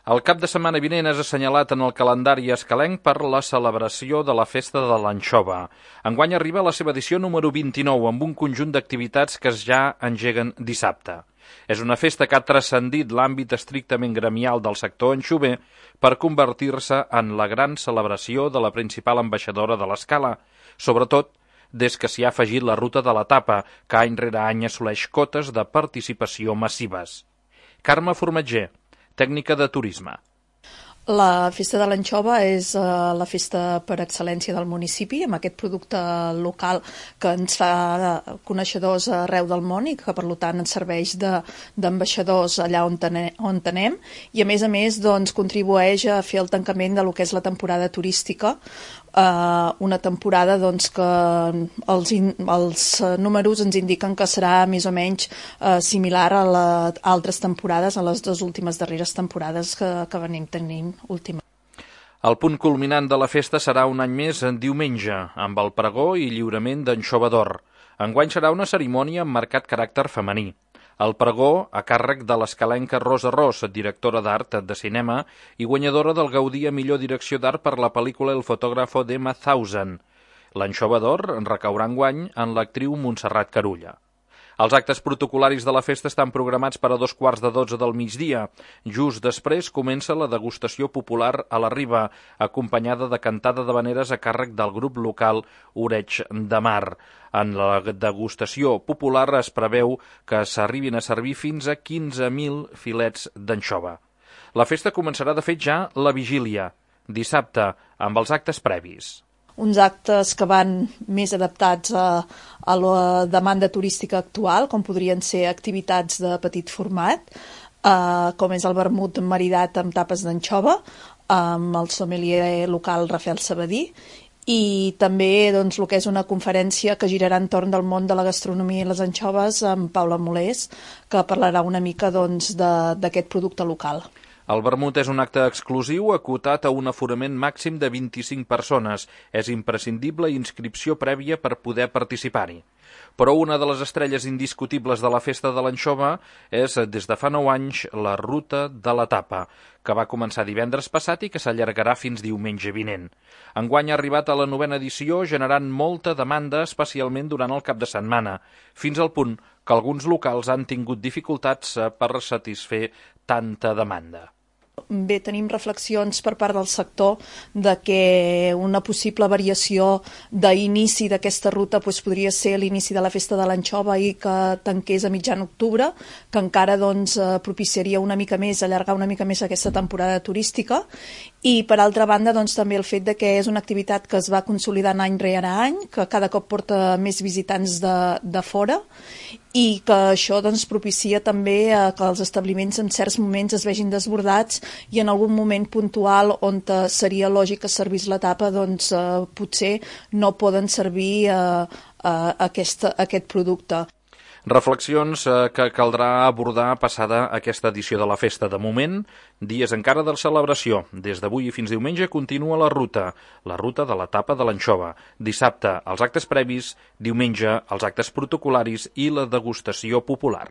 El cap de setmana vinent és assenyalat en el calendari escalenc per la celebració de la Festa de l'Anxova. Enguany arriba a la seva edició número 29 amb un conjunt d'activitats que ja engeguen dissabte. És una festa que ha transcendit l'àmbit estrictament gremial del sector anxover per convertir-se en la gran celebració de la principal ambaixadora de l'escala, sobretot des que s'hi ha afegit la ruta de la tapa, que any rere any assoleix cotes de participació massives. Carme Formatger, tècnica de turisme. La Festa de l'Anxova és la festa per excel·lència del municipi, amb aquest producte local que ens fa coneixedors arreu del món i que, per tant, ens serveix d'ambaixadors allà on anem. I, a més, doncs, contribueix a fer el tancament de lo que és la temporada turística, una temporada doncs, que els números ens indiquen que serà més o menys similar a altres temporades, a les dues últimes darreres temporades que venim tenint última. El punt culminant de la festa serà un any més en diumenge, amb el pregó i lliurament d'anxova d'or. Enguany serà una cerimònia amb marcat caràcter femení. El pregó a càrrec de l'escalenca Rosa Ros, directora d'art de cinema i guanyadora del Gaudí a millor direcció d'art per la pel·lícula El fotógrafo d'Emma Thousand. L'anxova d'or recaurà enguany en l'actriu Montserrat Carulla. Els actes protocolaris de la festa estan programats per a 2:15 del migdia. Just després comença la degustació popular a la Riba, acompanyada de cantada d'havaneres a càrrec del grup local Oreig de Mar. En la degustació popular es preveu que s'arribin a servir fins a 15.000 filets d'anxova. La festa començarà de fet ja la vigília, dissabte, amb els actes previs. Uns actes que van més adaptats a la demanda turística actual, com podrien ser activitats de petit format, com és el vermut maridat amb tapes d'anxova, amb el sommelier local Rafael Sabadí, i també doncs, el que és una conferència que girarà entorn del món de la gastronomia i les anxoves amb Paula Molés, que parlarà una mica doncs, d'aquest producte local. El vermut és un acte exclusiu acotat a un aforament màxim de 25 persones. És imprescindible inscripció prèvia per poder participar-hi. Però una de les estrelles indiscutibles de la Festa de l'Anxova és, des de fa 9 anys, la Ruta de la Tapa, que va començar divendres passat i que s'allargarà fins diumenge vinent. Enguany ha arribat a la 9a edició, generant molta demanda, especialment durant el cap de setmana, fins al punt que alguns locals han tingut dificultats per satisfer tanta demanda. Bé, tenim reflexions per part del sector de que una possible variació d'inici d'aquesta ruta podria ser l'inici de la Festa de l'Anxova i que tanqués a mitjan octubre, que encara propiciaria una mica més, allargar una mica més aquesta temporada turística. I, per altra banda, també el fet de que és una activitat que es va consolidant any rere any, que cada cop porta més visitants de fora, i que això propicia també que els establiments en certs moments es vegin desbordats i en algun moment puntual on seria lògic que servís la tapa, potser no poden servir aquest producte. Reflexions que caldrà abordar passada aquesta edició de la festa. De moment, dies encara de celebració. Des d'avui i fins diumenge continua la ruta de la tapa de l'anxova. Dissabte, els actes previs, diumenge, els actes protocolaris i la degustació popular.